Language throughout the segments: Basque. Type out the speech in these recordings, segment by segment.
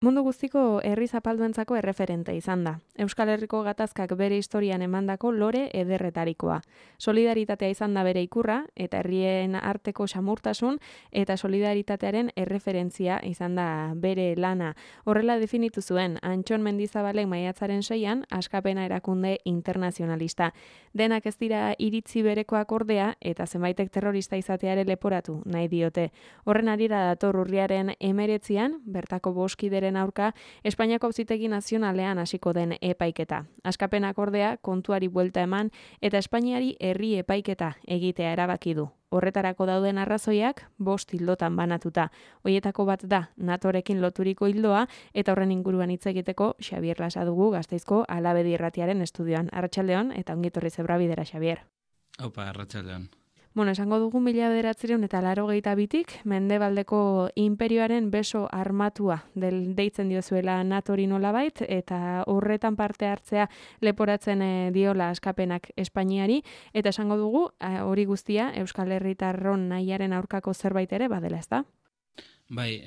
Mundu guztiko herri zapalduentzako erreferente izan da. Euskal Herriko gatazkak bere historian emandako lore ederretarikoa. Solidaritatea izan da bere ikurra, eta herrien arteko samurtasun eta solidaritatearen erreferentzia izan da bere lana. Horrela definitu zuen, Antxon Mendizabalek maiatzaren 6an Askapena erakunde internazionalista. Denak ez dira iritzi berekoak ordea, eta zenbaitek terrorista izateare leporatu nahi diote. Horren harira dator urriaren 19an, bertako boskideren aurka Espainiako Auzitegi Nazionalean hasiko den epaiketa. Askapenak ordea kontuari buelta eman eta Espainiari herri epaiketa egitea erabaki du. Horretarako dauden arrazoiak 5 hildotan banatuta. Hoietako bat da NATOrekin loturiko hildoa eta horren inguruan hitz egiteko Xabier Lasa dugu Gasteizko Alabedi Irratiaren estudioan. Arratsaldeon eta ongi etorri Zebrabidera, Xabier. Aupa, arratsaldeon. Bueno, esango dugu 1982tik Mendebaldeko inperioaren beso armatua deitzen diozuela NATOri nolabait, eta horretan parte hartzea leporatzen diola Askapenak Espainiari, eta esango dugu hori guztia Euskal Herritarron nahiaren aurkako zerbait ere badela, ezta? Bai,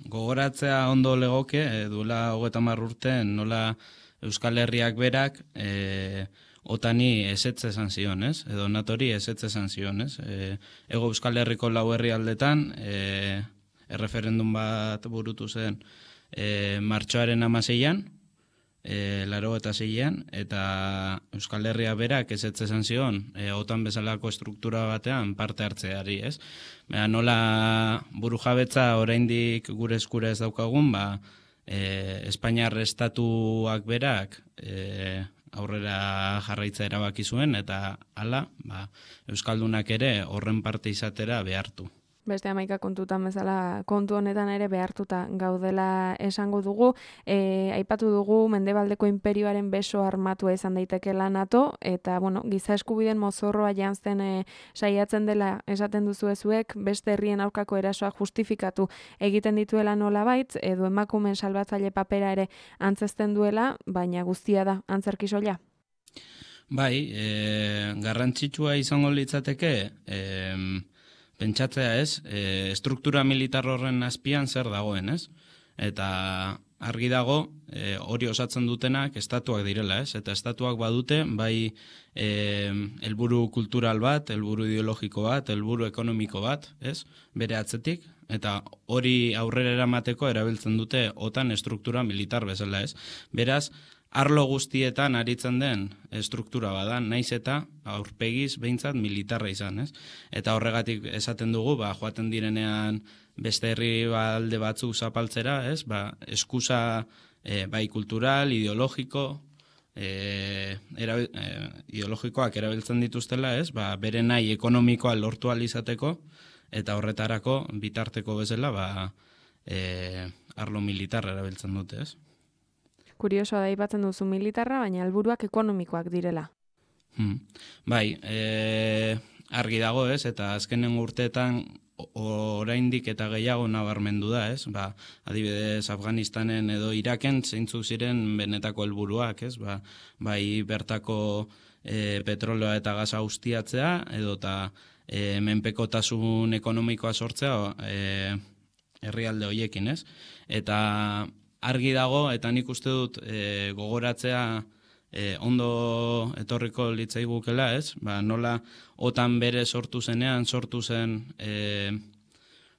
gogoratzea ondo legoke, duela 30 urte nola Euskal Herriak berak Otani ezetz esan zion, ez? Edo NATOri ezetz esan zion, ez? Ego Euskal Herriko 4 herrialdetan erreferendum bat burutu zen martxoaren 16an, 86an, eta Euskal Herria berak ezetz esan zion OTAN bezalako struktura batean parte hartzeari, ez? Nola burujabetza oraindik gure eskura ez daukagun, Espainiar estatuak berak aurrera jarraitza erabaki zuen, eta hala, Euskaldunak ere horren parte izatera behartu. Beste 11 kontutan bezala kontu honetan ere behartuta gaudela esango dugu. Aipatu dugu Mendebaldeko inperioaren beso armatua izan daitekeela NATO, eta giza eskubideen mozorroa janzten saiatzen dela esaten duzuezuek, beste herrien aurkako erasoa justifikatu egiten dituela nolabait, edo emakumeen salbatzaile papera ere antzesten duela, baina guztia da antzerki soila. Bai, garrantzitsua izango litzateke, pentsatzea ez, struktura militar horren azpian zer dagoen, ez? Eta argi dago, hori osatzen dutenak estatuak direla, ez? Eta estatuak badute, bai helburu kultural bat, helburu ideologiko bat, helburu ekonomiko bat, ez? Bere atzetik, eta hori aurrera eramateko erabiltzen dute OTAN struktura militar bezala, ez? Beraz, arlo guztietan aritzen den struktura bada, naiz eta aurpegiz behintzat militarra izan, ez? Eta horregatik esaten dugu, joaten direnean beste herri alde batzuk zapaltzera, ez? Eskusa bai kultural, ideologiko, ideologikoak erabiltzen dituztela, ez? Bere nahi ekonomikoa lortu ahal izateko, eta horretarako bitarteko bezala, arlo militarra erabiltzen dute, ez? Kuriosoa da aipatzen duzu militarra, baina helburuak ekonomikoak direla. Bai, argi dago, ez? Eta azkenen urteetan oraindik eta gehiago nabarmendu da, ez? Adibidez, Afganistanen edo Iraken zeintzuk ziren benetako helburuak, ez? Bai bertako petrolioa eta gaza ustiatzea, edota menpekotasun ekonomikoa sortzea herrialde horiekin, ez? Eta argi dago, eta nik uste dut gogoratzea ondo etorriko litzaigukela, ez? Nola OTAN bere sortu zenean, sortu zen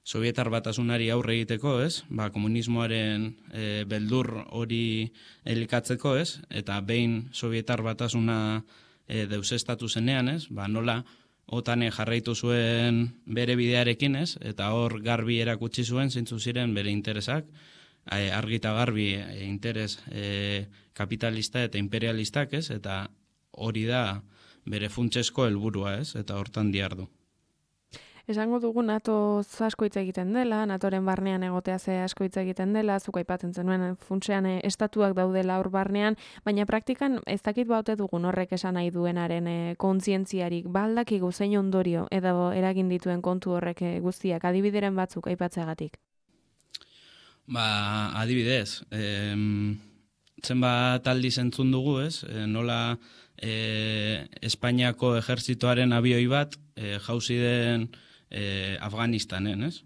Sovietar Batasunari aurre egiteko, ez? Komunismoaren beldur hori elikatzeko, ez? Eta behin Sovietar Batasuna deusestatu zenean, ez? Nola OTAN jarraitu zuen bere bidearekin, ez? Eta hor garbi erakutsi zuen zeintzu ziren bere interesak, argi eta garbi interes kapitalista eta imperialistak, ez? Eta hori da bere funtsesko helburua, ez? Eta hortan dihardu. Esango dugu NATO asko hitz egiten dela, NATOren barnean egotea ze asko hitz egiten dela, zuk aipatzen zenuen funtsean estatuak daudela hor barnean, baina praktikan ez dakit baute dugun horrek esan nahi duenaren kontzientziarik, baldakigu zein ondorio edo eragin dituen kontu horrek guztiak, adibideren batzuk aipatzeagatik. Adibidez, zenbat aldiz entzun dugu, ez? Nola Espainiako ejertzitoaren abioi bat jauzi den Afganistanen, ez?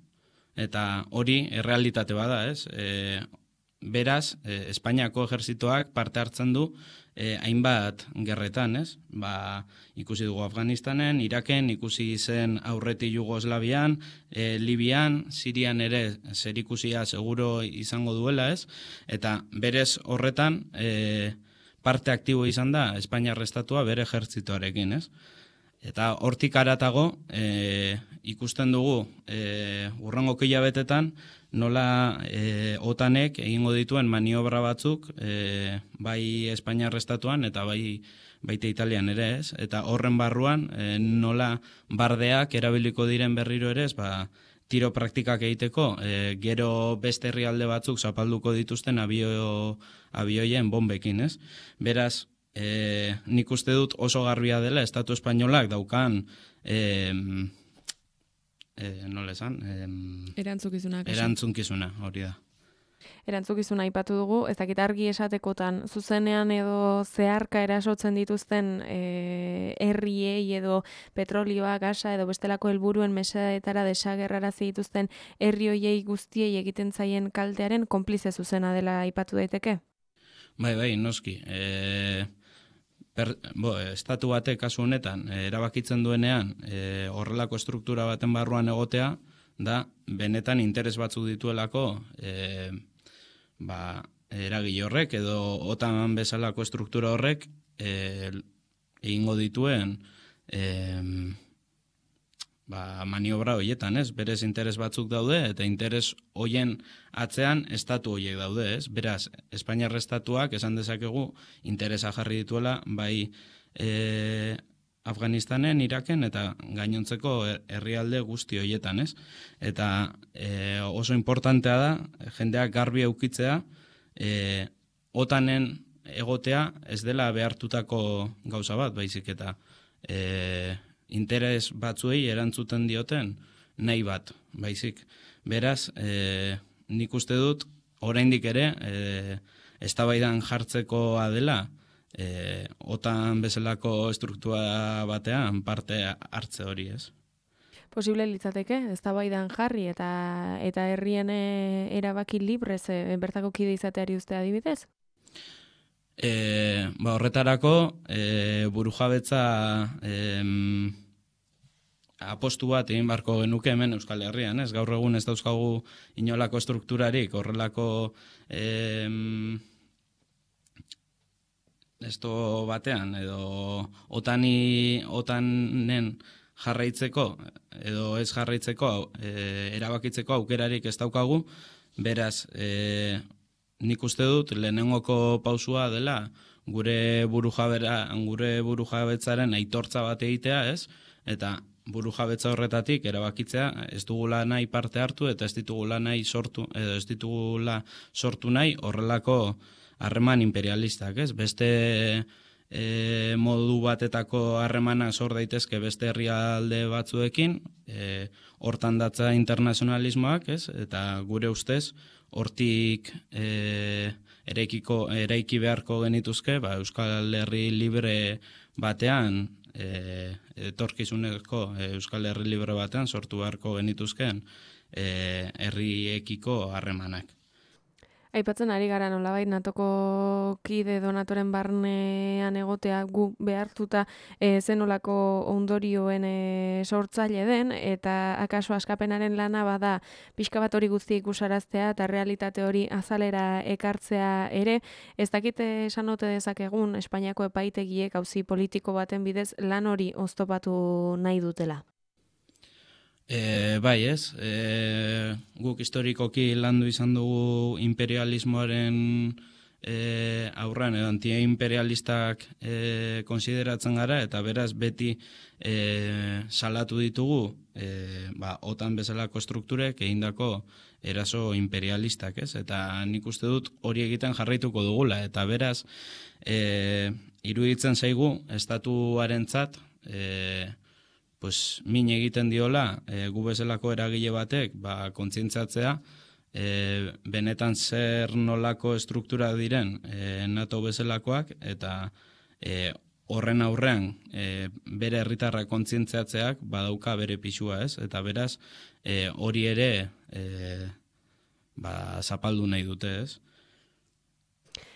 eta hori errealitate bada, ez? Beraz, Espainiako ejerzitoak parte hartzen du hainbat gerretan, ez? Ikusi dugu Afganistanen, Iraken, ikusi zen aurreti Jugoslavian, Libian, Sirian ere zerikusia seguro izango duela, ez? Eta berez horretan parte aktibo izan da Espainiar estatua bere ejertzitoarekin, ez? Eta hortik haratago ikusten dugu hurrengo hilabetetan nola OTANek egingo dituen maniobra batzuk bai Espainiar estatuan eta baita Italian ere, ez? Eta horren barruan nola bardeak erabiliko diren berriro ere, tiro praktikak egiteko, gero beste herrialde batzuk zapalduko dituzten abioien bombekin, ez? Beraz, nik uste dut oso garbia dela Estatu Espainolak daukan nola esan? Erantzukizuna, hori da. Erantzukizuna aipatu dugu, ez dakit argi esatekotan, zuzenean edo zeharka erasotzen dituzten herriei edo petrolioa, gasa edo bestelako helburuen mesedeetara desagerrarazi dituzten herri hoiei guztiei egiten zaien kaltearen konplize zuzena dela aipatu daiteke? Bai, noski. Estatu batek kasu honetan erabakitzen duenean horrelako estruktura baten barruan egotea da benetan interes batzuk dituelako eragile horrek edo OTAN bezalako estruktura horrek egingo dituen maniobra horietan, ez? Berez interes batzuk daude eta interes hoien atzean estatu horiek daude, ez? Beraz, Espainiar estatuak esan dezakegu interesa jarri dituela bai Afganistanen, Iraken eta gainontzeko herrialde guzti horietan, ez? Eta oso importantea da jendeak garbi eukitzea OTANen egotea ez dela behartutako gauza bat, baizik eta interes batzuei erantzuten dioten nahi bat, baizik. Beraz, nik uste dut, oraindik ere, eztabaidan jartzekoa dela, OTAN bezalako estruktura batean parte hartze hori, ez? Posible litzateke, eztabaidan jarri eta herrien erabaki librez bertako kide izateari uste adibidez? Horretarako burujabetza apostu bat egin barko genuke hemen Euskal Herrian, ez? Gaur egun ez dauzkagu inolako estrukturarik, horrelako esto batean, edo OTANen jarraitzeko, edo ez jarraitzeko, erabakitzeko aukerarik ez daukagu, beraz, nik uste dut lehenengoko pausua dela gure burujabetzaren aitortza bat egitea, ez? Eta burujabetza horretatik erabakitzea ez dugula nahi parte hartu eta ez ditugula nahi sortu edo ez ditugula sortu nahi horrelako harreman imperialistak, ez? Beste modu batetako harremanak sor daitezke beste herrialde batzuekin, hortan datza internazionalismoak, ez? Eta gure ustez hortik eraiki beharko genituzke, Euskal Herri libre batean, etorkizuneko Euskal Herri libre batean sortu beharko genituzken herriekiko harremanak. Aipatzen ari gara nolabait natoko kide donatoren barnean egotea gu behartuta zenolako ondorioen sortzaile den, eta akaso askapenaren lana bada pixka bat hori guzti ikusaraztea eta realitate hori azalera ekartzea ere, ez dakite esan ote dezakegun Espainiako epaitegiek auzi politiko baten bidez lan hori oztopatu nahi dutela. Bai, ez. Guk historikoki landu izan dugu imperialismoaren aurrean edo antiimperialistak konsideratzen gara, eta beraz beti salatu ditugu OTAN bezalako strukturek egindako eraso imperialistak, ez? Eta nik uste dut hori egiten jarraituko dugula, eta beraz iruditzen zaigu estatuarentzat min egiten diola gu bezalako eragile batek kontzientziatzea benetan zer nolako estruktura diren NATO bezalakoak eta horren aurrean bere herritarrak kontzientziatzeak badauka bere pisua, ez? Eta beraz, hori ere zapaldu nahi dute, ez?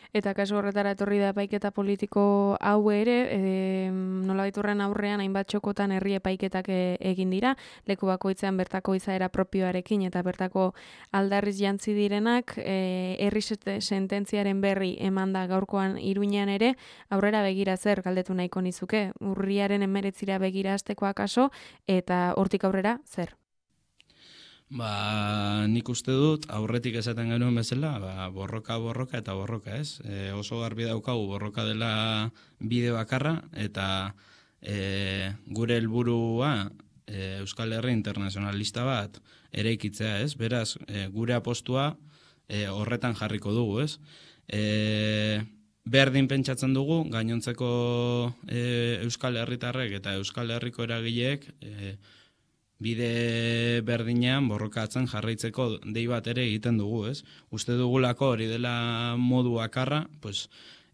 Eta kasu horretara etorri da epaiketa politiko hau ere, nolabait horren aurrean hainbat txokotan herri epaiketak egin dira, leku bakoitzean bertako izaera propioarekin eta bertako aldarriz jantzi direnak, herri sententziaren berri eman da gaurkoan Iruñean ere, aurrera begira zer galdetu nahiko nizuke, urriaren 19 begira hasteko akaso, eta hortik aurrera zer? Nik uste dut, aurretik esaten genuen bezala, borroka eta borroka, ez? Oso garbi daukagu borroka dela bide bakarra, eta gure helburua Euskal Herri internazionalista bat eraikitzea, ez? Beraz, gure apostua horretan jarriko dugu, ez? Berdin pentsatzen dugu, gainontzeko Euskal Herritarrek eta Euskal Herriko eragileek bide berdinean borrokatzen jarraitzeko dei bat ere egiten dugu, ez? Uste dugulako hori dela modu bakarra,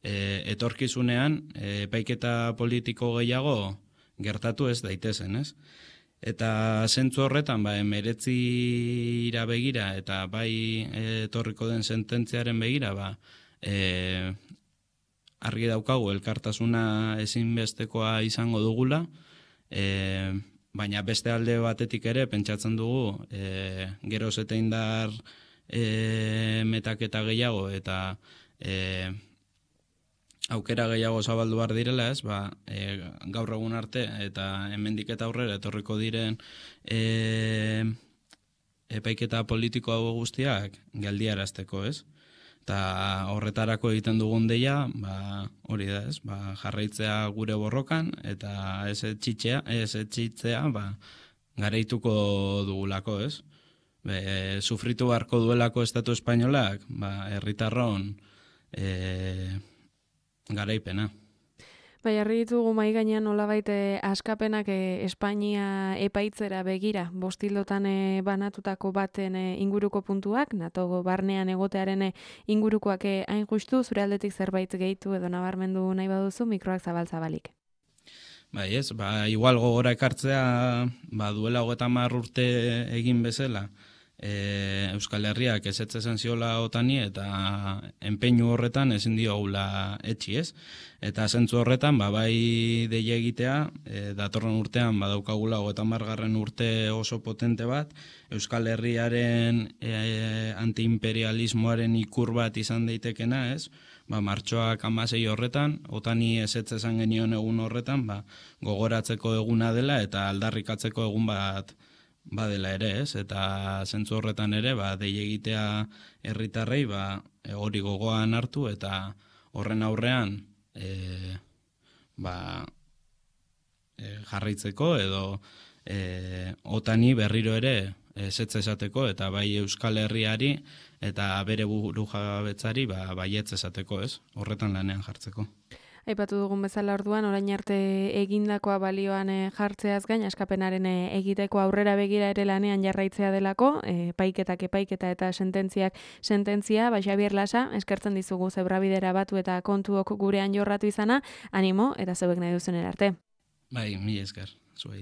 etorkizunean epaiketa politiko gehiago gertatu ez daitezen, ez? Eta zentzu horretan, 19 begira eta bai etorriko den sententziaren begira, argi daukagu elkartasuna ezinbestekoa izango dugula, baina beste alde batetik ere pentsatzen dugu geroz eta indar metaketa gehiago eta aukera gehiago zabaldu behar direla, ez? Gaur egun arte eta hemendik eta aurrera etorriko diren epaiketa politiko hau guztiak geldiarazteko, ez? Eta horretarako egiten dugun deia, hori da, ez? Jarraitzea gure borrokan eta ez etxitzea, garaituko dugulako, ez? Sufritu beharko duelako Estatu Espainolak, herritarron garaipena. Jarri ditugu mahai gainean nolabait askapenak Espainia epaitzera begira, bostildotan banatutako baten inguruko puntuak, NATO barnean egotearen ingurukoak hain justu, zure aldetik zerbait gehitu edo nabarmendu nahi baduzu, mikroak zabalik. Ez, igual gogora ekartzea, duela 30 urte egin bezala, Euskal Herriak ezetzen ziola otani eta enpeinu horretan ezin diogula etxi, ez? Eta zentzu horretan, bai deia egitea, datorren urtean badaukagula 30. urte oso potente bat, Euskal Herriaren antiimperialismoaren ikur bat izan daitekena, ez? Martxoak 16 horretan, otani ezetzen genion egun horretan, gogoratzeko eguna dela eta aldarrikatzeko egun bat badela ere, ez? Eta zentzu horretan ere, dei egitea herritarrei, hori gogoan hartu eta horren aurrean jarraitzeko edo otani berriro ere ezetz esateko eta bai Euskal Herriari eta bere burujabetzari baietz esateko, ez? Horretan lanean jartzeko. Aipatu dugun bezala orduan, orain arte egindakoa balioan jartzeaz gain, askapenaren egiteko aurrera begira ere lanean jarraitzea delako, epaiketa eta sententzia, Xabier Lasa, eskertzen dizugu zebrabidera batu eta kontuok gurean jorratu izana, animo eta zeuek nahi duzen arte. Mila esker.